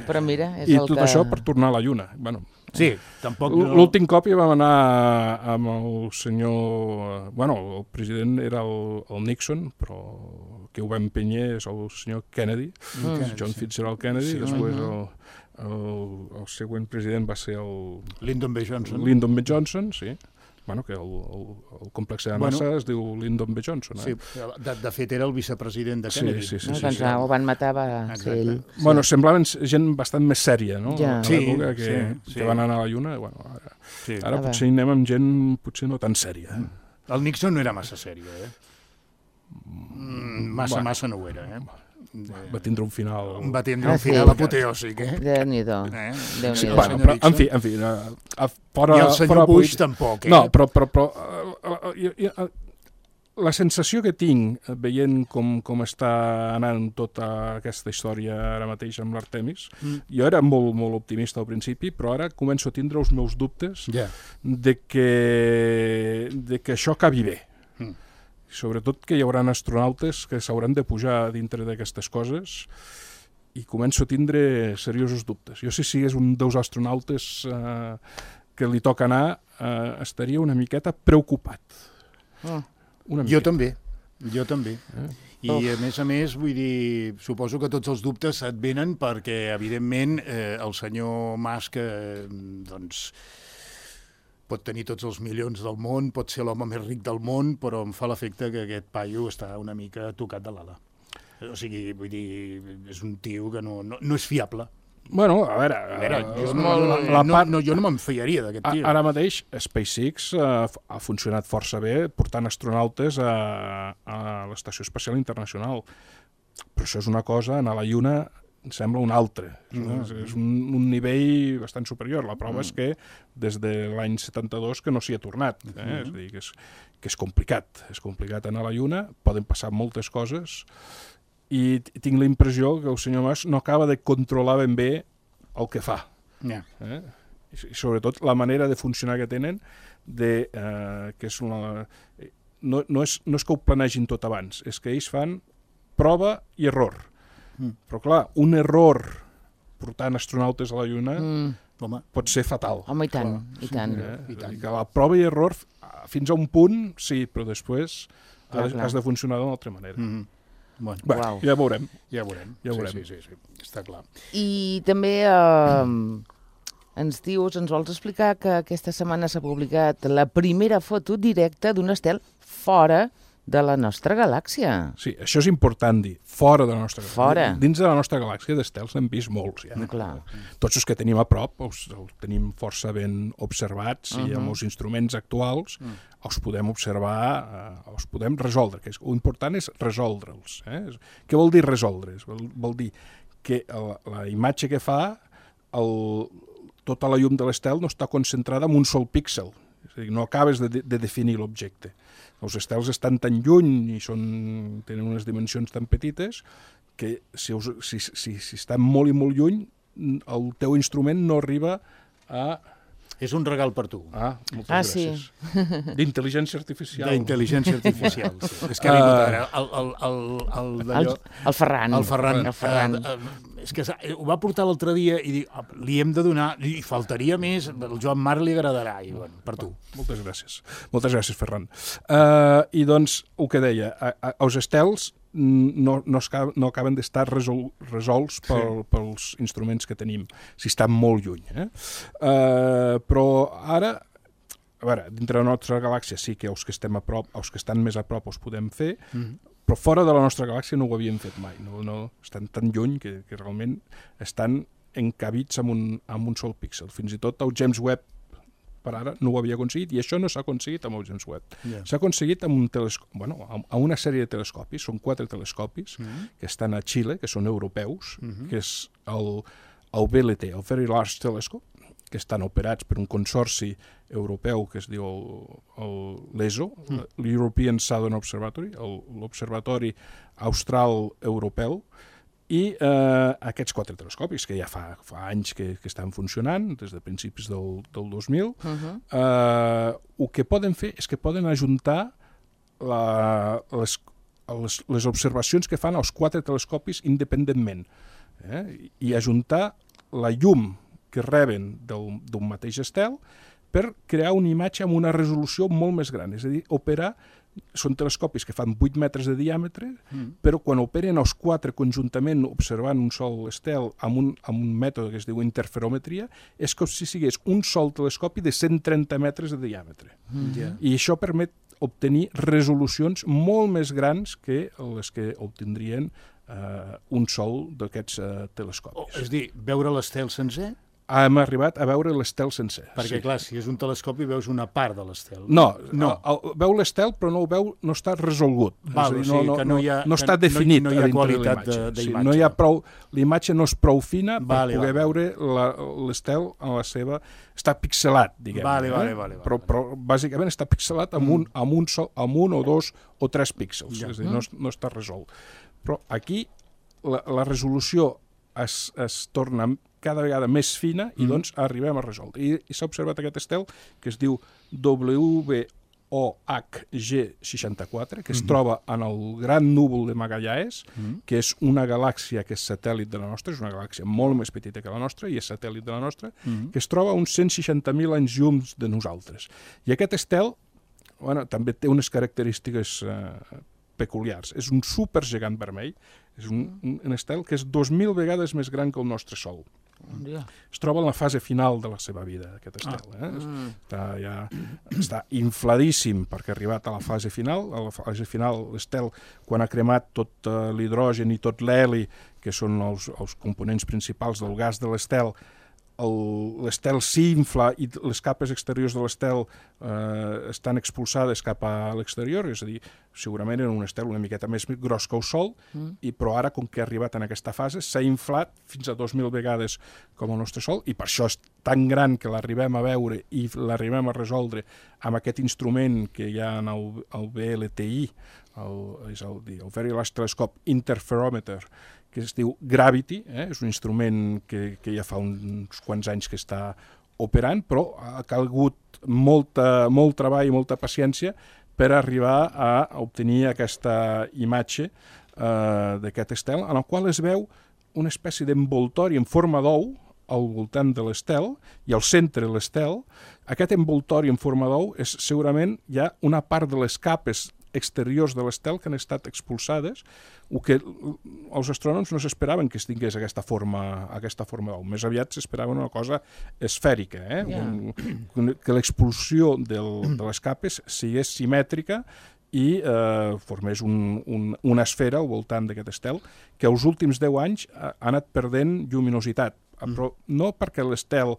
Però mira, és i el que... tot això per tornar a la Lluna. Sí, tampoc... L'últim cop ja vam anar amb el senyor... Bueno, el president era el Nixon, però que ho va empènyer és el senyor Kennedy, John Fitzgerald Kennedy, després el següent president va ser el... Lyndon B. Johnson, sí. Bueno, que el complex de NASA es diu Lyndon B. Johnson. Sí, de fet era el vicepresident de Kennedy. Sí. Doncs ho van matar, va ser ell. Bueno, semblaven gent bastant més sèria, no? Ja. A l'època que van anar a la Lluna. Ara potser hi anem amb gent potser no tan sèria. El Nixon no era massa sèrio, Massa no ho era, Va tindre un final... Va tindre un final apoteòsic, Déu-n'hi-do. En fi, i el senyor Bush tampoc, No, però la sensació que tinc veient com està anant tota aquesta història ara mateix amb l'Artemis, jo era molt, molt optimista al principi, però ara començo a tindre els meus dubtes de que això acabi bé. Sobretot que hi haurà astronautes que s'hauran de pujar dintre d'aquestes coses i començo a tindre seriosos dubtes. Jo si sigués un dels astronautes que li toca anar, estaria una miqueta preocupat. Jo també. I a més, vull dir, suposo que tots els dubtes et venen perquè, evidentment, el senyor Musk, doncs, pot tenir tots els milions del món, pot ser l'home més ric del món, però em fa l'efecte que aquest paio està una mica tocat de l'ala. O sigui, vull dir, és un tio que no és fiable. Bueno, a veure, jo no me'n fiaria d'aquest tio. Ara mateix SpaceX ha funcionat força bé portant astronautes a l'Estació Espacial Internacional. Però això és una cosa, anar a la Lluna sembla un altre. És un nivell bastant superior. La prova és que des de l'any 72 que no s'hi ha tornat. És a dir, que és complicat. És complicat anar a la Lluna, poden passar moltes coses, i tinc la impressió que el senyor Mas no acaba de controlar ben bé el que fa. I sobretot la manera de funcionar que tenen, que és no és que ho planegin tot abans, és que ells fan prova i error. Però clar, un error portant astronautes a la Lluna pot ser fatal. Home, i tant. La prova i error fins a un punt, sí, però després has de funcionar d'una altra manera. Bueno, ja veurem. Sí, està clar. I també ens vols explicar que aquesta setmana s'ha publicat la primera foto directa d'un estel fora de la nostra galàxia. Sí, això és important dir, fora de la nostra galàxia. Fora. Dins de la nostra galàxia d'estels n'hem vist molts, ja. Clar. Tots els que tenim a prop els tenim força ben observats i amb els instruments actuals els podem observar, els podem resoldre. L'important és resoldre'ls. Què vol dir resoldre's? Vol dir que la imatge que fa, tota la llum de l'estel no està concentrada en un sol píxel. És a dir, no acabes de definir l'objecte. Els estels estan tan lluny i tenen unes dimensions tan petites que si estan molt i molt lluny, el teu instrument no arriba a És un regal per tu. Moltes gràcies. Sí. D'intel·ligència artificial. D'intel·ligència artificial, sí. És que ha vingut ara el Ferran. El Ferran. És que ho va portar l'altre dia i dic, li hem de donar, i faltaria més, el Joan Marc li agradarà, i bueno, per tu. Moltes gràcies. Moltes gràcies, Ferran. I doncs, el que deia, els estels no acaben d'estar resolts pels instruments que tenim, si estan molt lluny. Però ara, a veure, dintre de la nostra galàxia sí que els que estem a prop, els que estan més a prop els podem fer, però fora de la nostra galàxia no ho havíem fet mai. Estan tan lluny que realment estan encabits amb un sol píxel. Fins i tot el James Webb per ara no ho havia aconseguit, i això no s'ha aconseguit amb el James Webb. S'ha aconseguit amb amb una sèrie de telescopis, són 4 telescopis que estan a Xile, que són europeus, que és el VLT, el Very Large Telescope, que estan operats per un consorci europeu que es diu l'ESO, l'European Southern Observatory, l'Observatori Austral Europeu, i aquests 4 telescopis, que ja fa anys que estan funcionant, des de principis del 2000, el que poden fer és que poden ajuntar les observacions que fan els 4 telescopis independentment, i ajuntar la llum que reben d'un mateix estel per crear una imatge amb una resolució molt més gran. És a dir, són telescopis que fan 8 metres de diàmetre, però quan operen els 4 conjuntament observant un sol estel amb un mètode que es diu interferometria, és com si sigués un sol telescopi de 130 metres de diàmetre. I això permet obtenir resolucions molt més grans que les que obtindrien un sol d'aquests telescopis. És a dir, veure l'estel sencer? Hem arribat a veure l'estel sencer. Perquè, clar, si és un telescopi veus una part de l'estel. No. Veu l'estel, però no està resolgut. No està definit. No hi ha qualitat d'imatge. No hi ha prou, l'imatge no és prou fina per poder veure l'estel en la seva... Està pixelat, diguem. Però bàsicament està pixelat amb un o 2 o 3 píxels. És a dir, no està resolt. Però aquí la resolució es torna cada vegada més fina i doncs arribem a resoldre. I s'ha observat aquest estel que es diu WOHG64, que es troba en el Gran Núvol de Magallanes, que és una galàxia que és satèl·lit de la nostra, és una galàxia molt més petita que la nostra i és satèl·lit de la nostra, que es troba a uns 160.000 anys llums de nosaltres. I aquest estel també té unes característiques peculiars. És un supergegant vermell, és un estel que és 2.000 vegades més gran que el nostre Sol. Es troba en la fase final de la seva vida, aquest estel. Està infladíssim perquè ha arribat a la fase final. A la fase final, l'estel, quan ha cremat tot l'hidrogen i tot l'heli, que són els components principals del gas de l'estel, l'estel s'infla i les capes exteriors de l'estel estan expulsades cap a l'exterior, és a dir, segurament era un estel una miqueta més gros que el Sol, però ara, com que ha arribat en aquesta fase, s'ha inflat fins a 2.000 vegades com el nostre Sol, i per això és tan gran que l'arribem a veure i l'arribem a resoldre amb aquest instrument que hi ha en el VLTI, el Very Large Telescope Interferometer, que es diu Gravity, és un instrument que ja fa uns quants anys que està operant, però ha calgut molt treball i molta paciència per arribar a obtenir aquesta imatge d'aquest estel, en el qual es veu una espècie d'envoltori en forma d'ou al voltant de l'estel, i al centre de l'estel. Aquest envoltori en forma d'ou és segurament ja una part de les capes exteriors de l'estel que han estat expulsades, o que els astrònoms no s'esperaven que es tingués aquesta forma d'ou. Més aviat s'esperaven una cosa esfèrica, que l'expulsió de les capes sigués simètrica i formés una esfera al voltant d'aquest estel, que els últims 10 anys ha anat perdent lluminositat, però no perquè l'estel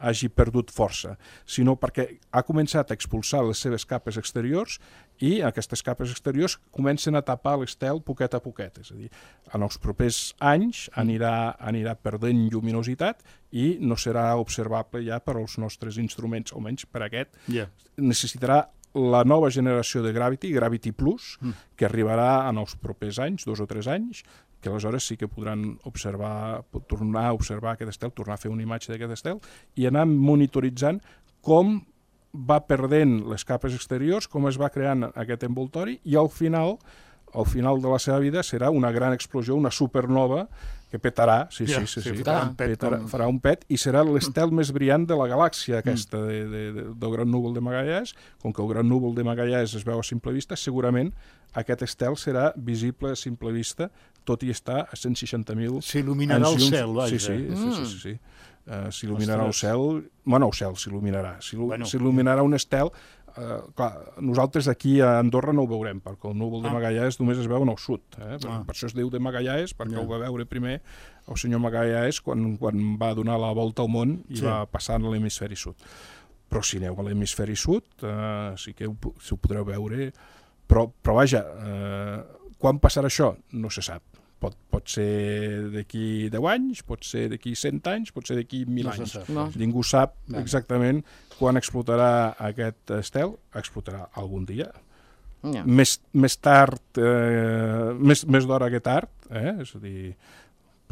hagi perdut força, sinó perquè ha començat a expulsar les seves capes exteriors i aquestes capes exteriors comencen a tapar l'estel poquet a poquet. És a dir, en els propers anys anirà perdent lluminositat i no serà observable ja per als nostres instruments, almenys per aquest. Necessitarà la nova generació de Gravity Plus, que arribarà en els propers anys, 2 o 3 anys, que aleshores sí que podran tornar a observar aquest estel, tornar a fer una imatge d'aquest estel i anar monitoritzant com va perdent les capes exteriors, com es va creant aquest envoltori, i al final de la seva vida serà una gran explosió, una supernova que petarà, farà un pet, i serà l'estel més brillant de la galàxia aquesta del Gran Núvol de Magallanes. Com que el Gran Núvol de Magallanes es veu a simple vista, segurament aquest estel serà visible a simple vista, tot i estar a 160.000... S'il·luminarà el cel, vaja. Sí. S'il·luminarà el cel... Bueno, el cel s'il·luminarà. S'il·luminarà un estel. Clar, nosaltres aquí a Andorra no ho veurem, perquè el núvol de Magallanes només es veu en el sud. Per això es diu de Magallanes, perquè ho va veure primer el senyor Magallanes quan va donar la volta al món i va passar a l'hemisferi sud. Però si aneu a l'hemisferi sud, sí que ho podreu veure. Però vaja, quan passarà això? No se sap. Pot ser d'aquí 10 anys, pot ser d'aquí 100 anys, pot ser d'aquí 1.000 anys. Ningú sap exactament quan explotarà aquest estel. Explotarà algun dia. Més tard, més d'hora que tard, és a dir,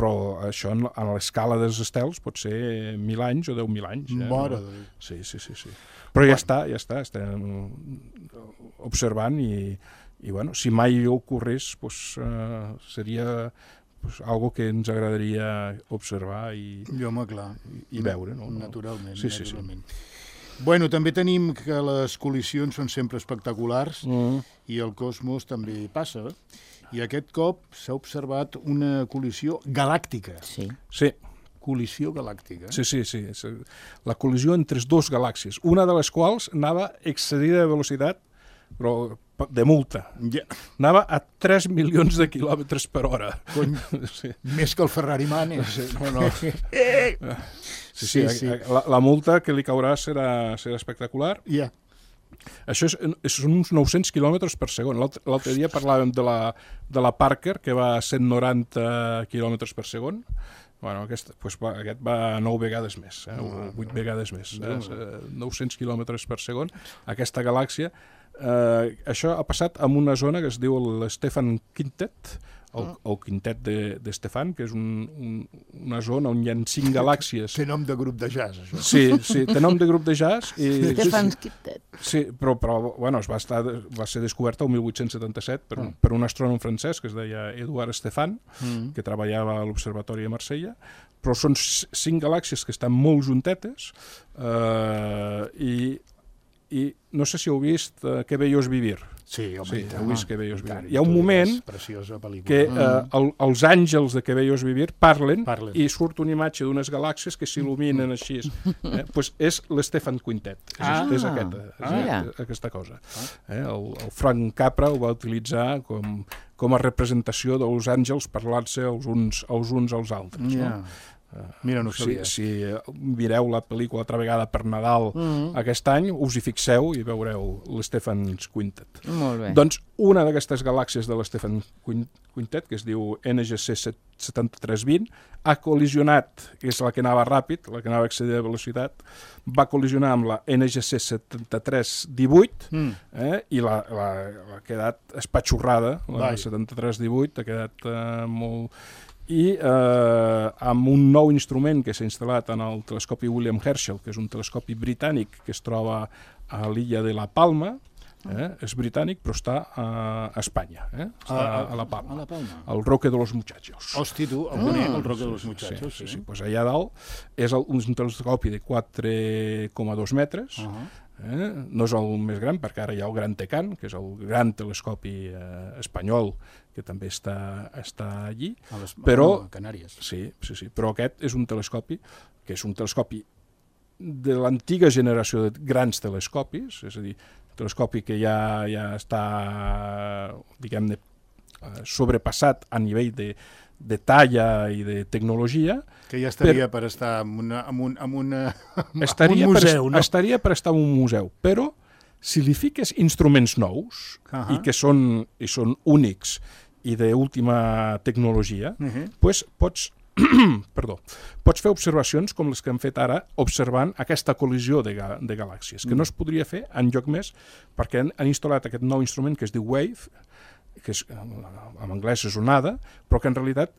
però això a l'escala dels estels pot ser 1.000 anys o 10.000 anys. Mare de Déu. Sí. Però ja està, estem observant i bueno, si mai ocorrés, seria algo que ens agradaria observar i veure. Naturalment. Bueno, també tenim que les col·lisions són sempre espectaculars i el cosmos també passa. I aquest cop s'ha observat una col·lisió galàctica. Sí. Col·lisió galàctica. Sí. La col·lisió entre dues galàxies, una de les quals anava excedida de velocitat, però de multa. Anava a 3 milions de quilòmetres per hora. Més que el Ferrari Manes. Sí. La multa que li caurà serà espectacular. Això són uns 900 quilòmetres per segon. L'altre dia parlàvem de la Parker, que va a 190 quilòmetres per segon. Bueno, aquest va 9 vegades més, 8 vegades més, 900 quilòmetres per segon. Aquesta galàxia, això ha passat en una zona que es diu l'Stefan Quintet, el quintet d'Stefan, que és una zona on hi ha 5 galàxies. Té nom de grup de jazz, això. Sí, té nom de grup de jazz. Stefan Quintet. Sí, però bueno, va ser descoberta el 1877 per un astrònom francès que es deia Eduard Stefan, que treballava a l'Observatori de Marsella, però són 5 galàxies que estan molt juntetes i no sé si heu vist Que bello es vivir. Sí, home, heu vist Que bello es vivir. Hi ha un moment que els àngels de Que bello es vivir parlen i surt una imatge d'unes galàxies que s'il·luminen així. Pues és l'Stefan Quintet. És aquesta cosa. El Frank Capra ho va utilitzar com a representació dels àngels parlant-se els uns als altres. Mira, no sabia. Si mireu la pel·lícula altra vegada per Nadal aquest any, us hi fixeu i veureu l'Stefan Quintet. Molt bé. Doncs una d'aquestes galàxies de l'Stefan Quintet, que es diu NGC 7320, ha col·lisionat, que és la que anava ràpid, la que anava a excedir de velocitat, va col·lisionar amb la NGC 7318 i l'ha quedat espatxorrada, la 7318 ha quedat molt... I amb un nou instrument que s'ha instal·lat en el telescopi William Herschel, que és un telescopi britànic que es troba a l'illa de La Palma, és britànic però està a Espanya, està a La Palma, al Roque de los Muchachos. Hosti, tu, el conec, el Roque de los Muchachos. Sí, pues allà dalt és un telescopi de 4,2 metres, no és el més gran, perquè ara hi ha el Gran Tecan, que és el gran telescopi espanyol, que també està allí. A Canàries. Sí, però aquest és un telescopi que és un telescopi de l'antiga generació de grans telescopis, és a dir, un telescopi que ja està, diguem-ne, sobrepassat a nivell de talla i de tecnologia. Que ja estaria per estar en un museu, no? Estaria per estar en un museu, però si li fiques instruments nous i que són únics i d'última tecnologia, doncs pots fer observacions com les que hem fet ara observant aquesta col·lisió de galàxies, que no es podria fer enlloc més perquè han instal·lat aquest nou instrument que es diu WAVE, que en anglès és onada, però que en realitat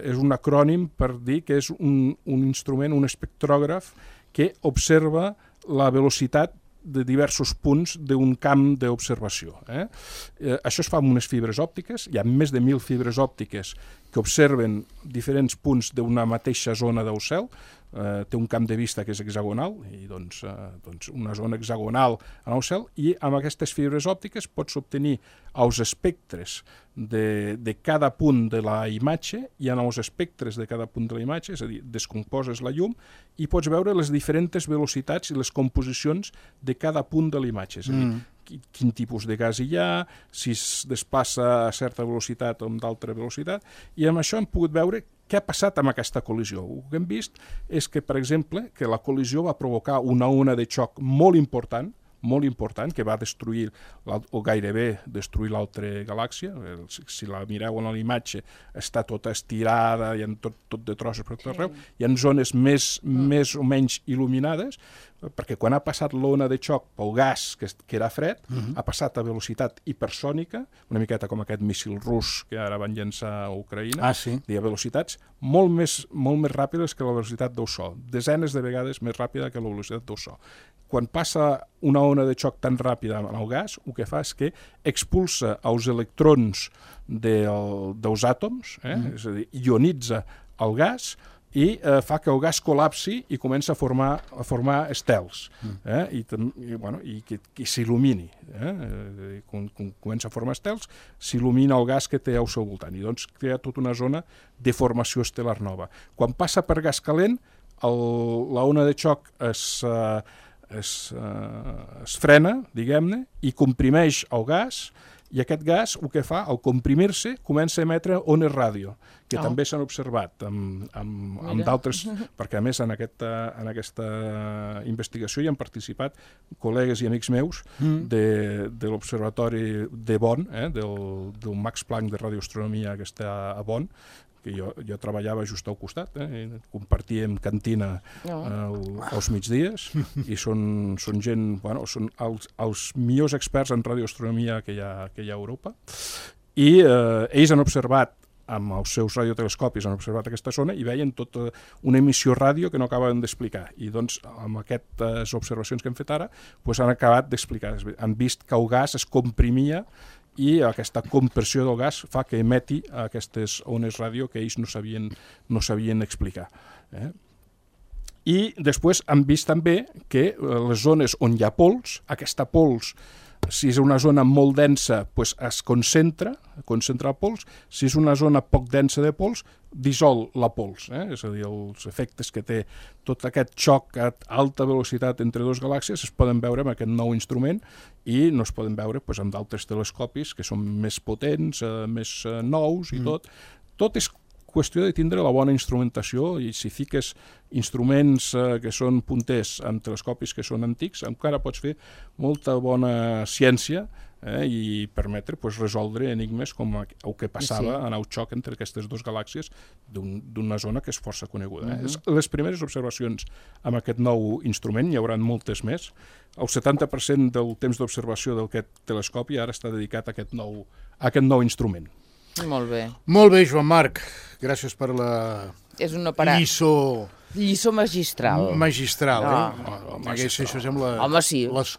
és un acrònim per dir que és un instrument, un espectrògraf que observa la velocitat de diversos punts d'un camp d'observació. Això es fa amb unes fibres òptiques, hi ha més de 1.000 fibres òptiques que observen diferents punts d'una mateixa zona del cel, té un camp de vista que és hexagonal, i doncs una zona hexagonal en el cel, i amb aquestes fibres òptiques pots obtenir els espectres de cada punt de la imatge, i en els espectres de cada punt de la imatge, és a dir, descomposes la llum i pots veure les diferents velocitats i les composicions de cada punt de la imatge, és a dir, quin tipus de gas hi ha, si es desplaça a certa velocitat o amb d'altra velocitat, i amb això hem pogut veure què ha passat amb aquesta col·lisió. El que hem vist és que, per exemple, que la col·lisió va provocar una ona de xoc molt important, que va destruir, o gairebé destruir l'altra galàxia. Si la mireu en la imatge, està tota estirada, hi ha tot de trossos per tot arreu. Hi ha zones més o menys il·luminades, perquè quan ha passat l'ona de xoc pel gas, que era fred, ha passat a velocitat hipersònica, una miqueta com aquest míssil rus que ara van llançar a Ucraïna, a velocitats molt més ràpides que la velocitat del so, desenes de vegades més ràpida que la velocitat del so. Quan passa una ona de xoc tan ràpida en el gas, el que fa és que expulsa els electrons dels àtoms, és a dir, ionitza el gas, i fa que el gas col·lapsi i comença a formar estels, i que s'il·lumini. Quan comença a formar estels, s'il·lumina el gas que té al seu voltant, i doncs crea tota una zona de formació estel·lar nova. Quan passa per gas calent, l'ona de xoc es frena, diguem-ne, i comprimeix el gas, i aquest gas, el que fa, al comprimir-se, comença a emetre ones ràdio, que també s'han observat amb d'altres, perquè a més en aquesta investigació hi han participat col·legues i amics meus de l'Observatori de Bonn, del Max Planck de radioastronomia que està a Bonn, que jo treballava just al costat, compartíem cantina als migdies, i són gent, són els millors experts en radioastronomia que hi ha a Europa, i ells han observat, amb els seus radiotelescopis han observat aquesta zona i veien tota una emissió ràdio que no acaben d'explicar, i doncs amb aquestes observacions que hem fet ara han acabat d'explicar, han vist que el gas es comprimia, i aquesta compressió del gas fa que emeti aquestes ones ràdio que ells no sabien explicar. I després han vist també que les zones on hi ha pols, aquesta pols, si és una zona molt densa, es concentra el pols, si és una zona poc densa de pols, dissol la pols, és a dir, els efectes que té tot aquest xoc a alta velocitat entre dues galàxies es poden veure amb aquest nou instrument, i no es poden veure amb d'altres telescopis que són més potents, més nous i tot. Tot és qüestió de tindre la bona instrumentació, i si fiques instruments que són punters amb telescopis que són antics, encara pots fer molta bona ciència i permetre resoldre enigmes com el que passava en el xoc entre aquestes dues galàxies d'una zona que és força coneguda. Les primeres observacions amb aquest nou instrument, hi haurà moltes més. El 70% del temps d'observació d'aquest telescopi ara està dedicat a aquest nou instrument. Molt bé. Molt bé, Joan Marc. Gràcies per la lliçó magistral. Magistral, Això sembla les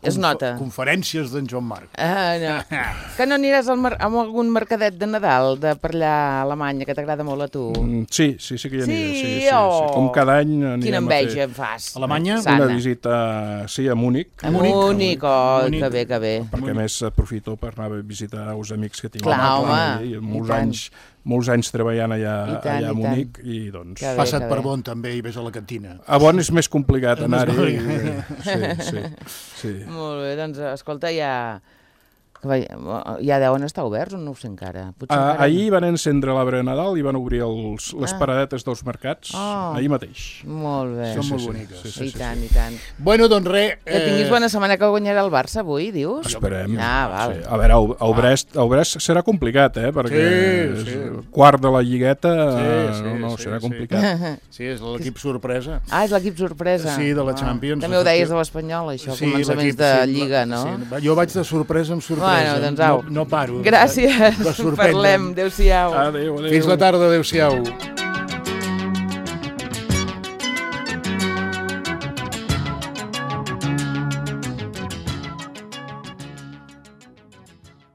conferències d'en Joan Marc. Que no aniràs a algun mercadet de Nadal de per allà a Alemanya, que t'agrada molt a tu? Sí que hi aniré. Com cada any anirem a fer... Quina enveja em fas. Alemanya? Una visita, a Múnich. A Múnich, que bé, que bé. Perquè a més aprofito per anar a visitar els amics que tinc. Clar, home. Molts anys treballant allà a Múnich, i doncs... Passa't per Bonn també i ves a la cantina. A Bonn és més complicat anar-hi. Sí. Molt bé, doncs escolta, ja deuen estar oberts o no ho sé encara? Ahir van encendre l'arbre de Nadal i van obrir les paradetes dels mercats ahir mateix. Molt bé. Són molt boniques. I tant. Bueno, doncs res... Que tinguis bona setmana, que guanyarà el Barça avui, dius? Esperem. Val. A veure, el Brest serà complicat, perquè és quart de la lligueta, serà complicat. Sí, és l'equip sorpresa. És l'equip sorpresa. Sí, de la Champions. També ho deies de l'Espanyol, això, començaments de Lliga, no? Jo vaig de sorpresa en sorpresa. Doncs au. No paro. Gràcies. Parlem. Adéu-siau. Adéu. Fins la tarda. Adéu-siau.